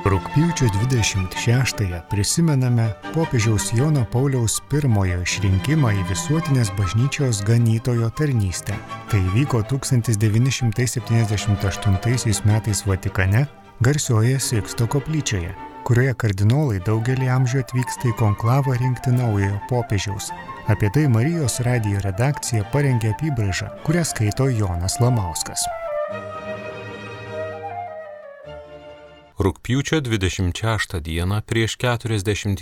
Rugpjūčio 26-ąją prisimename popiežiaus Jono Pauliaus I išrinkimą į visuotinės bažnyčios ganytojo tarnystę. Tai vyko 1978 metais Vatikane, garsioje Siksto koplyčioje, kurioje kardinolai daugelį amžių atvyksta į konklavą rinkti naujojo popiežiaus. Apie tai Marijos radijo redakcija parengė apybraižą, kurią skaito Jonas Lamauskas. Rugpjūčio 26 dieną prieš 41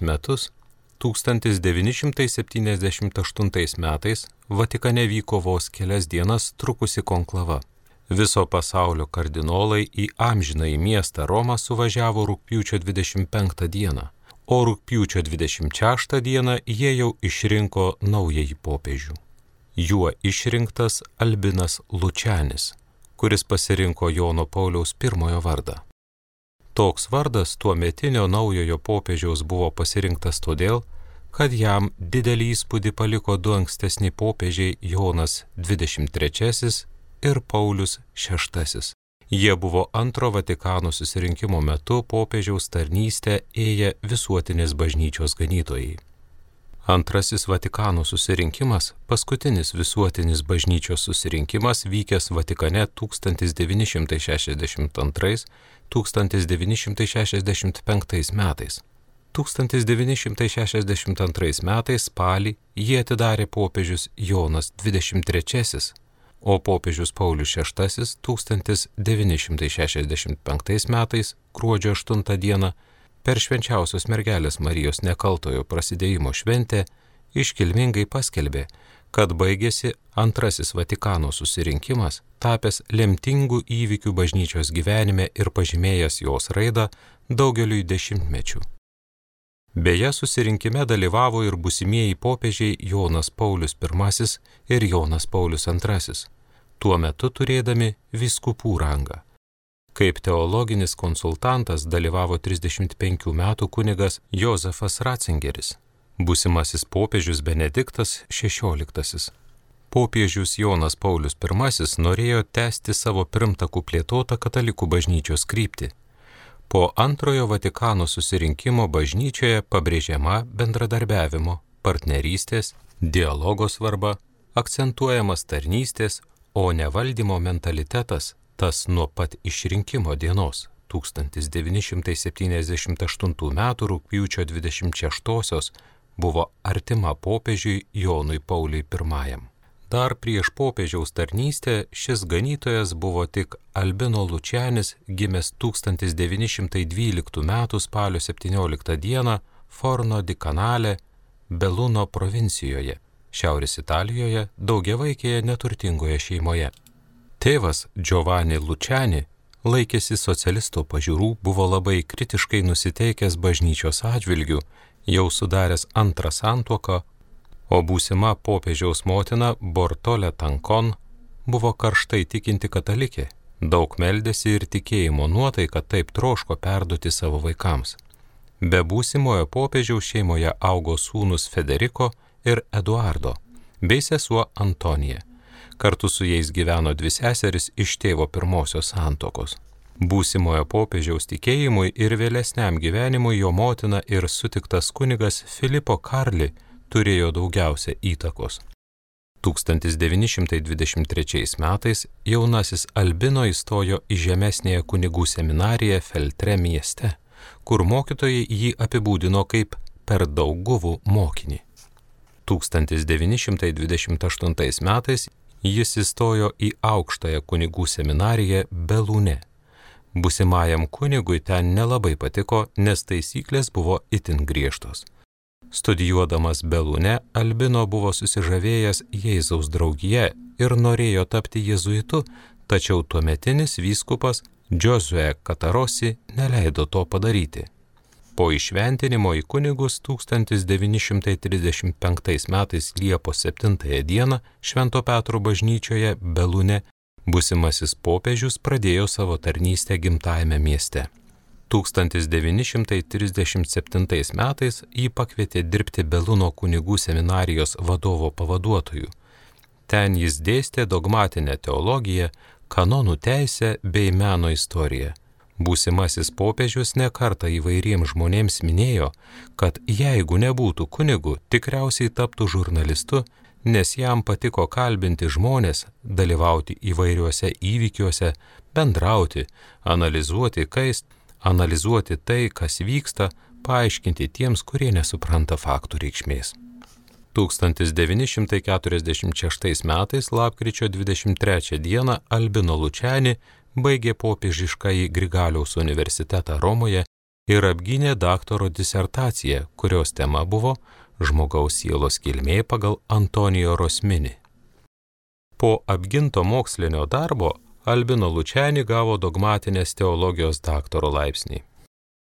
metus, 1978 metais, Vatikane vyko vos kelias dienas trukusi konklava. Viso pasaulio kardinolai į amžinąjį miestą Romą suvažiavo rugpjūčio 25 dieną, o rugpjūčio 26 dieną jie jau išrinko naująjį popiežių. Juo išrinktas Albinas Lučianis, kuris pasirinko Jono Pauliaus I vardą. Toks vardas tuometinio naujojo popiežiaus buvo pasirinktas todėl, kad jam didelį įspūdį paliko du ankstesni popiežiai Jonas XXIII ir Paulius VI. Jie buvo antro Vatikano susirinkimo metu popiežiaus tarnystę ėję visuotinės bažnyčios ganytojai. Antrasis Vatikano susirinkimas, paskutinis visuotinis bažnyčios susirinkimas vykęs Vatikane 1962–1965 metais. 1962 metais spalį jį atidarė popiežius Jonas XXIII, o popiežius Paulius VI 1965 metais gruodžio 8 dieną per Švenčiausios mergelės Marijos nekaltojo prasidėjimo šventę iškilmingai paskelbė, kad baigėsi antrasis Vatikano susirinkimas, tapęs lemtingų įvykių bažnyčios gyvenime ir pažymėjęs jos raidą daugeliui dešimtmečių. Beje, susirinkime dalyvavo ir būsimieji popiežiai Jonas Paulius I ir Jonas Paulius II, tuo metu turėdami vyskupų rangą. Kaip teologinis konsultantas dalyvavo 35 metų kunigas Jozefas Ratzingeris, būsimasis popiežius Benediktas XVI. Popiežius Jonas Paulius I norėjo tęsti savo pirmtakų plėtotą katalikų bažnyčios kryptį. Po antrojo Vatikano susirinkimo bažnyčioje pabrėžiama bendradarbiavimo, partnerystės, dialogo svarba, akcentuojamas tarnystės, o ne valdymo mentalitetas, tas nuo pat išrinkimo dienos 1978 metų rugpjūčio 26 buvo artima popiežiui Jonui Pauliui I. Dar prieš popiežiaus tarnystę šis ganytojas buvo tik Albino Lučianis, gimęs 1912 metų spalio 17 dieną Forno di Canale, Beluno provincijoje, Šiaurės Italijoje, daugiavaikėje neturtingoje šeimoje. Tėvas Giovanni Lučiani laikėsi socialisto pažiūrų, buvo labai kritiškai nusiteikęs bažnyčios atžvilgių, jau sudaręs antrą santuoką, o būsima popiežiaus motina Bortolė Tankon buvo karštai tikinti katalikė, daug meldėsi ir tikėjimo nuotaika taip troško perduoti savo vaikams. Be būsimojo popiežiaus šeimoje augo sūnus Federico ir Eduardo, bei sesuo Antonija. Kartu su jais gyveno dvi seseris iš tėvo pirmosios santuokos. Būsimojo popiežiaus tikėjimui ir vėlesniam gyvenimui jo motina ir sutiktas kunigas Filipo Karli turėjo daugiausia įtakos. 1923 metais jaunasis Albino įstojo į žemesnėje kunigų seminariją Feltre mieste, kur mokytojai jį apibūdino kaip per daug guvų mokinį. 1928 metais jis įstojo į aukštąją kunigų seminariją Belūne. Būsimajam kunigui ten nelabai patiko, nes taisyklės buvo itin griežtos. Studijuodamas Belūne, Albino buvo susižavėjęs Jėzaus draugija ir norėjo tapti jėzuitu, tačiau tuometinis vyskupas Giosuè Catarosi neleido to padaryti. Po įšventinimo į kunigus 1935 metais Liepos 7 dieną Švento Petro bažnyčioje Belūne būsimasis popiežius pradėjo savo tarnystę gimtajame mieste. 1937 metais jį pakvietė dirbti Beluno kunigų seminarijos vadovo pavaduotoju. Ten jis dėstė dogmatinę teologiją, kanonų teisę bei meno istoriją. Būsimasis popiežius nekartą įvairiems žmonėms minėjo, kad jeigu nebūtų kunigu, tikriausiai taptų žurnalistu, nes jam patiko kalbinti žmonės, dalyvauti įvairiuose įvykiuose, bendrauti, analizuoti tai, kas vyksta, paaiškinti tiems, kurie nesupranta faktų reikšmės. 1946 metais lapkričio 23 dieną Albino Lučiani baigė popiežiškąjį Grigaliaus universitetą Romoje ir apgynė daktaro disertaciją, kurios tema buvo žmogaus sielos kilmė pagal Antonijo Rosmini. Po apginto mokslinio darbo Albino Lučiani gavo dogmatinės teologijos daktaro laipsnį.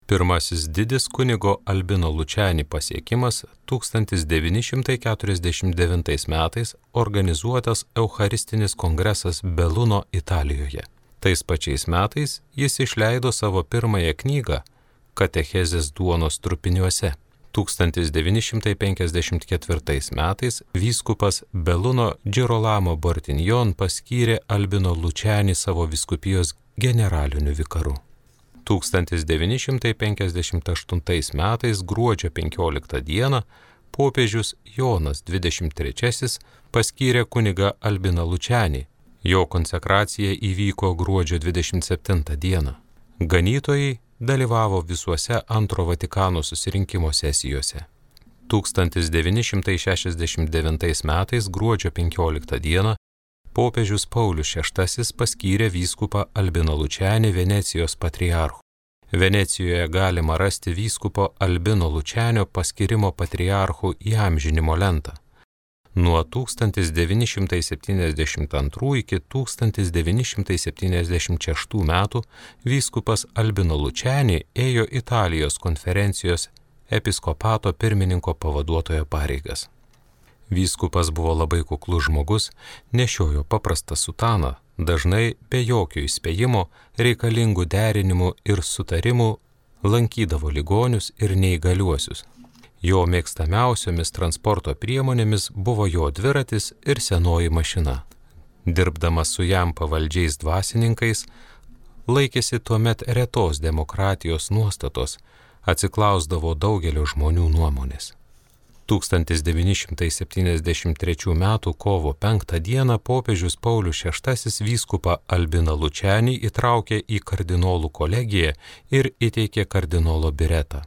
Pirmasis didis kunigo Albino Lučiani pasiekimas 1949 metais organizuotas Eucharistinis kongresas Beluno Italijoje. Tais pačiais metais jis išleido savo pirmąją knygą Katechezės duonos trupiniuose. 1954 metais vyskupas Beluno Girolamo Bortinjon paskyrė Albino Lučiani savo vyskupijos generaliniu vikaru. 1958 metais gruodžio 15 dieną popiežius Jonas XXIII paskyrė kunigą Albiną Lučiani. Jo konsekracija įvyko gruodžio 27 dieną. Ganytojai dalyvavo visuose Antro Vatikano susirinkimo sesijose. 1969 metais gruodžio 15 dieną popiežius Paulius VI paskyrė vyskupą Albiną Lučiani Venecijos patriarchu. Venecijoje galima rasti vyskupo Albino Lučianio paskyrimo patriarchu įamžinimo lentą. Nuo 1972 iki 1976 metų vyskupas Albino Lučiani ėjo Italijos konferencijos episkopato pirmininko pavaduotojo pareigas. Vyskupas buvo labai kuklus žmogus, nešiojo paprastą sutaną, dažnai be jokio įspėjimo, reikalingų derinimų ir sutarimų lankydavo ligonius ir neįgaliuosius. Jo mėgstamiausiomis transporto priemonėmis buvo jo dviratis ir senoji mašina. Dirbdamas su jam pavaldžiais dvasininkais, laikėsi tuomet retos demokratijos nuostatos, atsiklausdavo daugelio žmonių nuomonės. 1973 m. kovo 5 d. popiežius Paulius VI vyskupą Albiną Lučianį įtraukė į kardinolų kolegiją ir įteikė kardinolo biretą.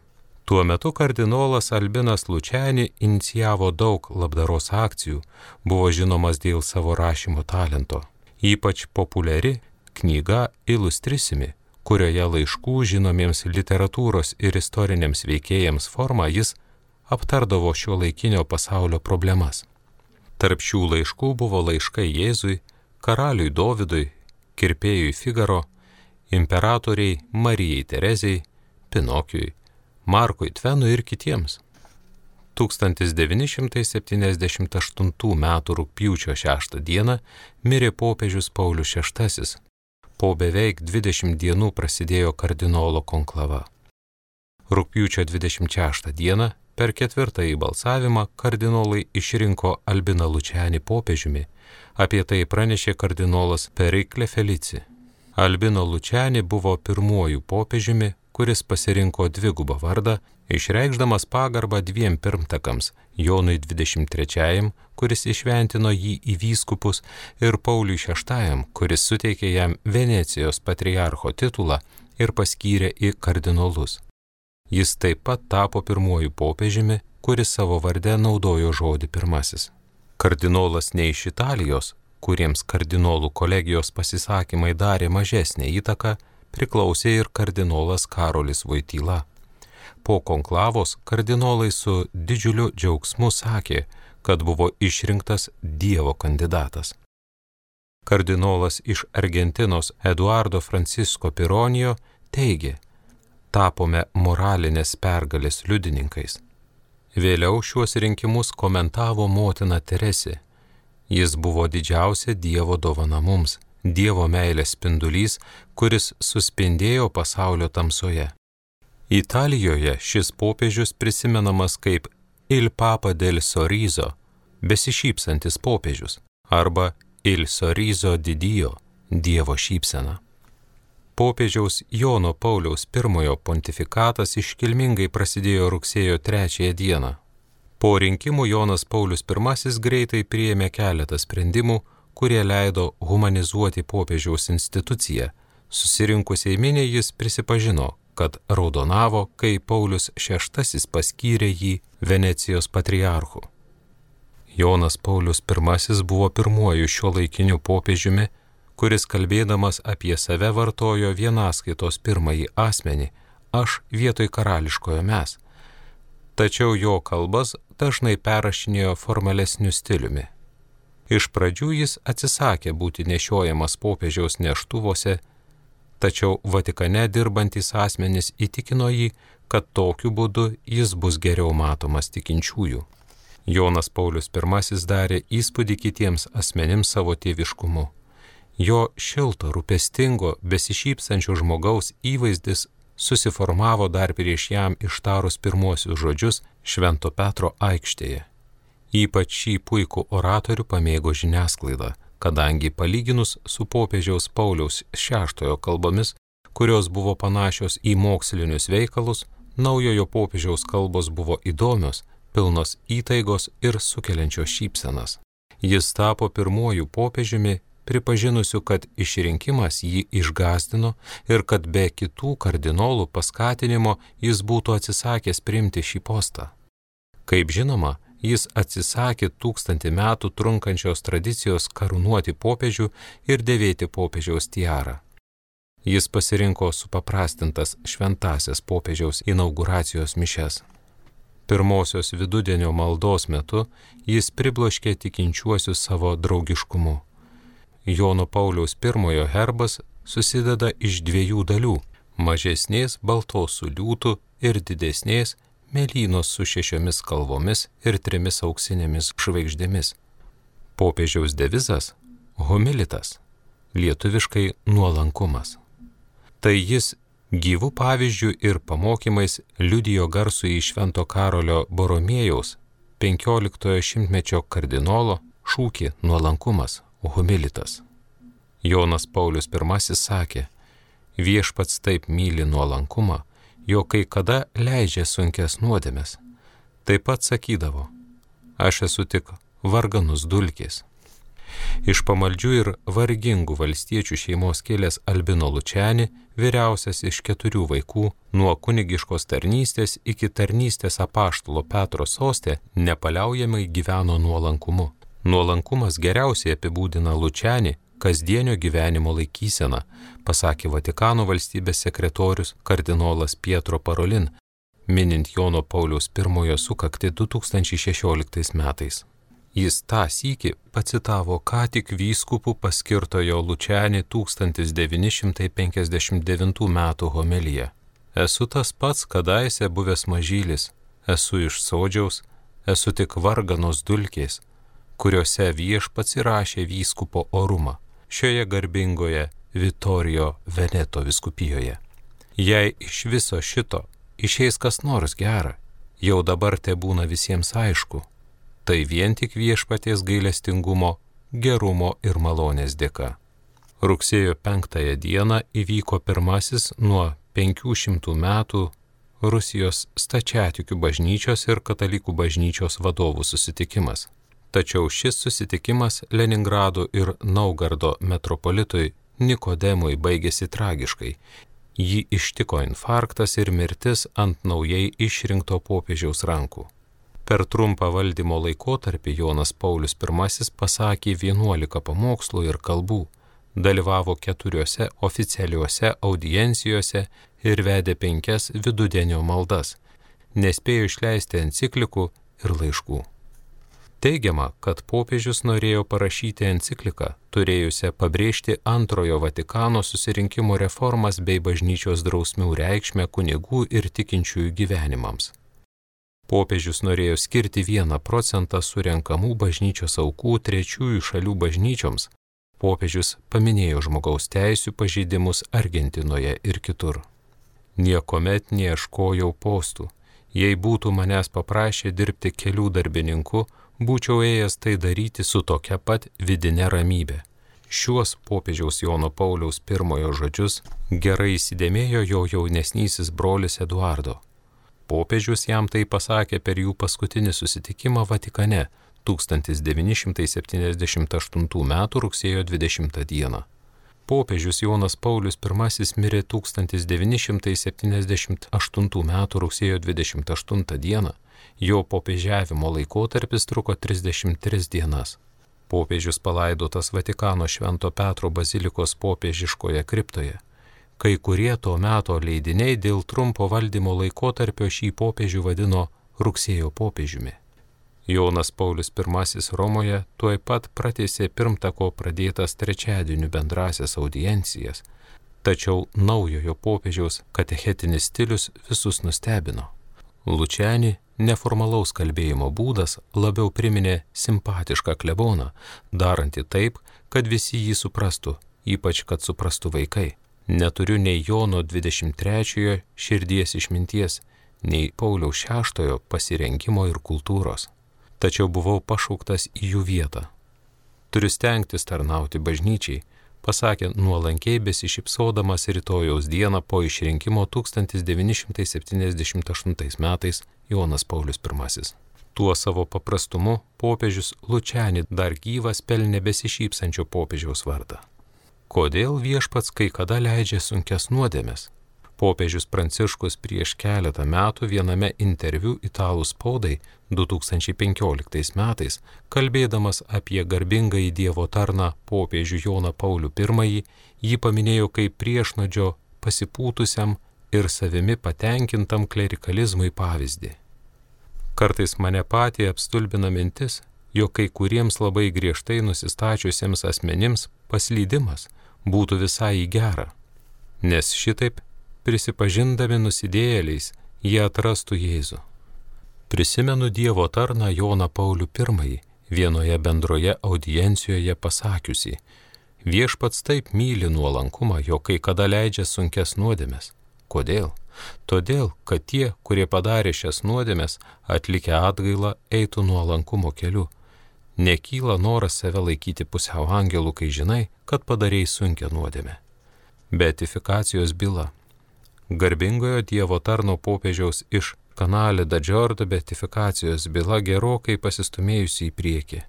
Tuo metu kardinolas Albinas Lučiani inicijavo daug labdaros akcijų, buvo žinomas dėl savo rašymo talento. Ypač populiari knyga Illustrisimi, kurioje laiškų žinomiems literatūros ir istoriniams veikėjams forma jis aptardavo šiuolaikinio pasaulio problemas. Tarp šių laiškų buvo laiškai Jėzui, karaliui Dovydui, kirpėjui Figaro, imperatoriai Marijai Terezijai, Pinokiui, Markui Tvenui ir kitiems. 1978 m. rugpjūčio 6 d. mirė popiežius Paulius VI. Po beveik 20 dienų prasidėjo kardinolo konklava. Rugpjūčio 26 d. per ketvirtąjį balsavimą kardinolai išrinko Albiną Lučianį popiežiumi, apie tai pranešė kardinolas Periklė Felici. Albino Lučiani buvo pirmuoju popiežiumi, kuris pasirinko dvigubą vardą, išreikšdamas pagarbą dviem pirmtakams – Jonui XXIII, kuris įšventino jį į vyskupus, ir Pauliui VI, kuris suteikė jam Venecijos patriarcho titulą ir paskyrė į kardinolus. Jis taip pat tapo pirmuoju popiežiumi, kuris savo varde naudojo žodį pirmasis. Kardinolas ne iš Italijos, kuriems kardinolų kolegijos pasisakymai darė mažesnę įtaką, priklausė ir kardinolas Karolis Voityla. Po konklavos kardinolai su didžiuliu džiaugsmu sakė, kad buvo išrinktas Dievo kandidatas. Kardinolas iš Argentinos Eduardo Francisco Pironijo teigė: tapome moralinės pergalės liudininkais. Vėliau šiuos rinkimus komentavo motina Teresė. Jis buvo didžiausia Dievo dovana mums, Dievo meilės spindulys, kuris suspindėjo pasaulio tamsoje. Italijoje šis popiežius prisimenamas kaip Il Papa del Sorriso, besišypsantis popiežius, arba Il Sorriso di Dio, Dievo šypsena. Popiežiaus Jono Pauliaus I pontifikatas iškilmingai prasidėjo rugsėjo 3 dieną. Po rinkimų Jonas Paulius I greitai priėmė keletą sprendimų, kurie leido humanizuoti popiežiaus instituciją. Susirinkusiai miniai jis prisipažino, kad raudonavo, kai Paulius VI paskyrė jį Venecijos patriarchu. Jonas Paulius I buvo pirmuoju šiuolaikiniu popiežiumi, kuris kalbėdamas apie save vartojo vienaskaitos pirmąjį asmenį, aš vietoj karališkojo mes. Tačiau jo kalbas dažnai perrašinėjo formalesniu stiliumi. Iš pradžių jis atsisakė būti nešiojamas popiežiaus neštuvose, tačiau Vatikane dirbantis asmenys įtikino jį, kad tokiu būdu jis bus geriau matomas tikinčiųjų. Jonas Paulius I darė įspūdį kitiems asmenims savo tėviškumu. Jo šilto, rūpestingo, besišypsančio žmogaus įvaizdis susiformavo dar prieš jam ištarus pirmuosius žodžius Švento Petro aikštėje. Ypač šį puikų oratorių pamėgo žiniasklaida, kadangi palyginus su popiežiaus Pauliaus VI kalbomis, kurios buvo panašios į mokslinius veikalus, naujojo popiežiaus kalbos buvo įdomios, pilnos įtaigos ir sukeliančios šypsenas. Jis tapo pirmuoju popiežiumi, pripažinusiu, kad išrinkimas jį išgąsdino ir kad be kitų kardinolų paskatinimo jis būtų atsisakęs priimti šį postą. Kaip žinoma, jis atsisakė 1000 metų trunkančios tradicijos karūnuoti popiežių ir dėvėti popiežiaus tiarą. Jis pasirinko supaprastintas šventąsias popiežiaus inauguracijos mišias. Pirmosios vidudienio maldos metu jis pribloškė tikinčiuosius savo draugiškumu. Jono Pauliaus I herbas susideda iš 2 dalių – mažesnės baltos su liūtu ir didesnės mėlynos su 6 kalvomis ir 3 auksinėmis žvaigždėmis. Popiežiaus devizas – humilitas, lietuviškai nuolankumas. Tai jis gyvų pavyzdžių ir pamokymais liudijo garsųjį Švento Karolio Boromėjaus 15 šimtmečio kardinolo šūkį nuolankumas, humilitas. Jonas Paulius I sakė, viešpats taip myli nuolankumą, jo kai kada leidžia sunkes nuodėmes. Taip pat sakydavo, aš esu tik varganus dulkės. Iš pamaldžių ir vargingų valstiečių šeimos kilęs Albino Lučiani, vyriausias iš 4 vaikų, nuo kunigiškos tarnystės iki tarnystės apaštalo Petro soste, nepaliaujamai gyveno nuolankumu. Nuolankumas geriausiai apibūdina Lučianį kasdienio gyvenimo laikyseną, pasakė Vatikano valstybės sekretorius kardinolas Pietro Parolin, minint Jono Pauliaus I sukaktį 2016 metais. Jis tą sykį pacitavo ką tik vyskupų paskirtojo Lučianį 1959 metų homiliją. Esu tas pats kadaise buvęs mažylis, esu iš Sodžiaus, esu tik varganos dulkės, kuriuose viešpats įrašė vyskupo orumą šioje garbingoje Vitorijo Veneto vyskupijoje. Jei iš viso šito išeis kas nors gera, jau dabar te būna visiems aišku, tai vien tik viešpaties gailestingumo, gerumo ir malonės dėka. Rugsėjo 5 dieną įvyko pirmasis nuo 500 metų Rusijos stačiatikių bažnyčios ir katalikų bažnyčios vadovų susitikimas. Tačiau šis susitikimas Leningrado ir Naugardo metropolitui Nikodemui baigėsi tragiškai. Jį ištiko infarktas ir mirtis ant naujai išrinkto popiežiaus rankų. Per trumpą valdymo laikotarpį Jonas Paulius I pasakė 11 pamokslų ir kalbų, dalyvavo 4 oficialiuose audiencijose ir vedė 5 vidudienio maldas, nespėjo išleisti enciklikų ir laiškų. Teigiama, kad popiežius norėjo parašyti encikliką, turėjusią pabrėžti Antrojo Vatikano susirinkimo reformas bei bažnyčios drausmių reikšmę kunigų ir tikinčiųjų gyvenimams. Popiežius norėjo skirti 1% surenkamų bažnyčios aukų trečiųjų šalių bažnyčioms. Popiežius paminėjo žmogaus teisių pažeidimus Argentinoje ir kitur. Niekuomet neieškojau postų. Jei būtų manęs paprašę dirbti kelių darbininku, būčiau ėjęs tai daryti su tokia pat vidine ramybė. Šiuos popiežiaus Jono Pauliaus I žodžius gerai įsidėmėjo jo jaunesnysis brolis Eduardo. Popiežius jam tai pasakė per jų paskutinį susitikimą Vatikane 1978 m. rugsėjo 20 d. Popiežius Jonas Paulius I mirė 1978 m. rugsėjo 28 d. Jo popiežiavimo laikotarpis truko 33 dienas. Popiežius palaidotas Vatikano Švento Petro bazilikos popiežiškoje kriptoje. Kai kurie to meto leidiniai dėl trumpo valdymo laikotarpio šį popiežių vadino rugsėjo popiežiumi. Jonas Paulius I Romoje tuoj pat pratęsė pirmtako pradėtas trečiadienių bendrasias audiencijas, tačiau naujojo popiežiaus katechetinis stilius visus nustebino. Lučiani neformalaus kalbėjimo būdas labiau priminė simpatišką kleboną, darantį taip, kad visi jį suprastų, ypač kad suprastų vaikai. Neturiu nei Jono 23 širdies išminties, nei Pauliaus VI pasirengimo ir kultūros. Tačiau buvau pašauktas į jų vietą. Turiu stengtis tarnauti bažnyčiai, pasakė nuolankiai besišypsodamas rytojaus dieną po išrinkimo 1978 metais Jonas Paulius I. Tuo savo paprastumu popiežius Lučiani dar gyvas pelnė besišypsančio popiežiaus vardą. Kodėl viešpats kai kada leidžia sunkias nuodėmes? Popiežius Pranciškus prieš keletą metų viename interviu italų spaudai 2015 metais, kalbėdamas apie garbingąjį Dievo tarną popiežių Joną Paulių I, jį paminėjo kaip priešnodžio pasipūtusiam ir savimi patenkintam klerikalizmui pavyzdį. Kartais mane patį apstulbina mintis, jog kai kuriems labai griežtai nusistačiusiems asmenims paslydimas būtų visai į gerą, nes šitaip prisipažindami nusidėjėliais, jie atrastų Jėzų. Prisimenu Dievo tarną Joną Paulių I vienoje bendroje audiencijoje pasakiusi: viešpats taip myli nuolankumą, jog kai kada leidžia sunkias nuodėmes. Kodėl? Todėl, kad tie, kurie padarė šias nuodėmes, atlikę atgailą, eitų nuolankumo keliu. Nekyla noras save laikyti pusiau angelų, kai žinai, kad padarei sunkią nuodėmę. Beatifikacijos byla. Garbingojo Dievo tarno popiežiaus iš Canale da Giordo beatifikacijos byla gerokai pasistumėjusi į priekį.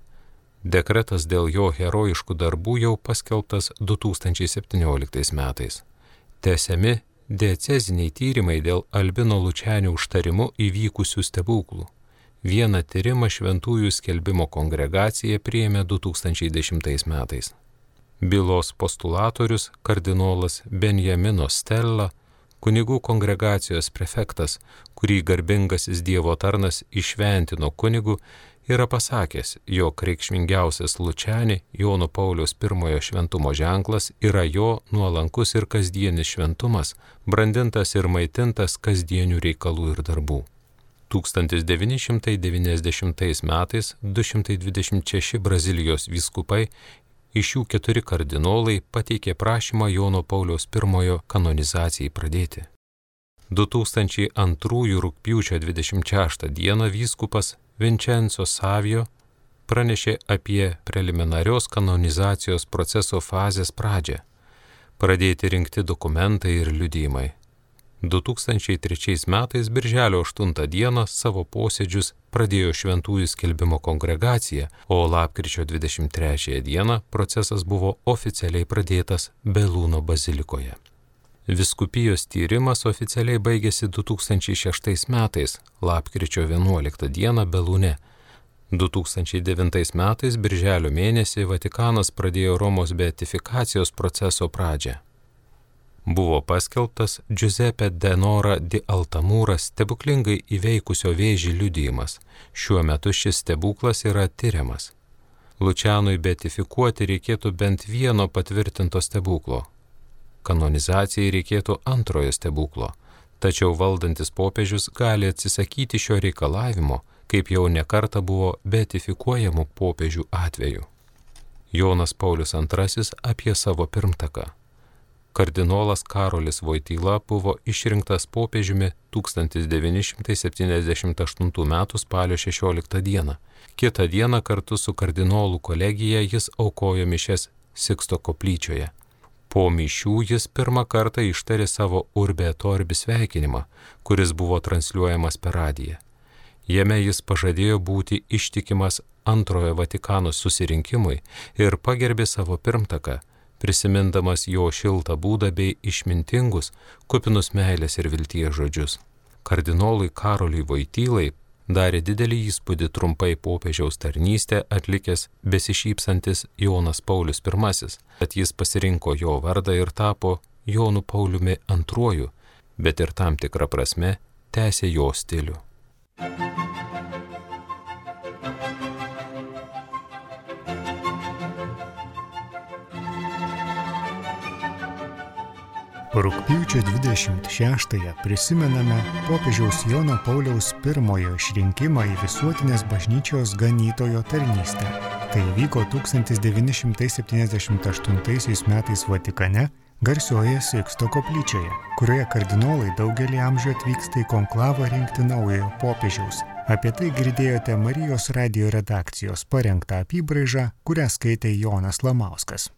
Dekretas dėl jo herojiškų darbų jau paskelbtas 2017 metais. Tęsiami dieceziniai tyrimai dėl Albino Lučianio užtarimu įvykusių stebuklų. Vieną tyrimą Šventųjų skelbimo kongregacija priėmė 2010 metais. Bylos postulatorius kardinolas Benjamino Stella, kunigų kongregacijos prefektas, kurį garbingasis Dievo tarnas išventino kunigu, yra pasakęs, jog reikšmingiausias Lučiani Jono Pauliaus I šventumo ženklas yra jo nuolankus ir kasdienis šventumas, brandintas ir maitintas kasdienių reikalų ir darbų. 1990 metais 226 Brazilijos vyskupai, iš jų 4 kardinolai pateikė prašymą Jono Pauliaus I kanonizacijai pradėti. 2002 rugpjūčio 26 dieną vyskupas Vincenzo Savio pranešė apie preliminarios kanonizacijos proceso fazės pradžią. Pradėti rinkti dokumentai ir liudijimai. 2003 metais birželio 8 dieną savo posėdžius pradėjo Šventųjų skelbimo kongregacija, o lapkričio 23 dieną procesas buvo oficialiai pradėtas Belūno bazilikoje. Viskupijos tyrimas oficialiai baigėsi 2006 metais, lapkričio 11 dieną Belūne. 2009 metais birželio mėnesį Vatikanas pradėjo Romos beatifikacijos proceso pradžią. Buvo paskelbtas Giuseppe Denora di Altamura stebuklingai įveikusio vėžį liudijimas. Šiuo metu šis stebuklas yra tyriamas. Lučianui beatifikuoti reikėtų bent vieno patvirtinto stebuklo. Kanonizacijai reikėtų antrojo stebuklo, tačiau valdantis popiežius gali atsisakyti šio reikalavimo, kaip jau nekarta buvo beatifikuojamų popiežių atveju. Jonas Paulius II apie savo pirmtaką. Kardinolas Karolis Voityla buvo išrinktas popiežiumi 1978 m. spalio 16 dieną. Kitą dieną kartu su kardinolų kolegija jis aukojo mišias Siksto koplyčioje. Po mišių jis pirmą kartą ištarė savo Urbe et Orbis sveikinimą, kuris buvo transliuojamas per radiją. Jame jis pažadėjo būti ištikimas Antrojo Vatikano susirinkimui ir pagerbė savo pirmtaką, prisimindamas jo šiltą būdą bei išmintingus, kupinus meilės ir vilties žodžius. Kardinolui Karoliui Voitylai darė didelį įspūdį trumpai popiežiaus tarnystę atlikęs besišypsantis Jonas Paulius I, kad jis pasirinko jo vardą ir tapo Jonu Pauliumi II, bet ir tam tikrą prasme tęsė jo stilių. Rugpjūčio 26-ąją prisimename popiežiaus Jono Pauliaus I išrinkimą į visuotinės bažnyčios ganytojo tarnystę. Tai vyko 1978 metais Vatikane, garsioje Siksto koplyčioje, kurioje kardinolai daugelį amžių atvyksta į konklavą rinkti naujojo popiežiaus. Apie tai girdėjote Marijos radijo redakcijos parengtą apybraižą, kurią skaitė Jonas Lamauskas.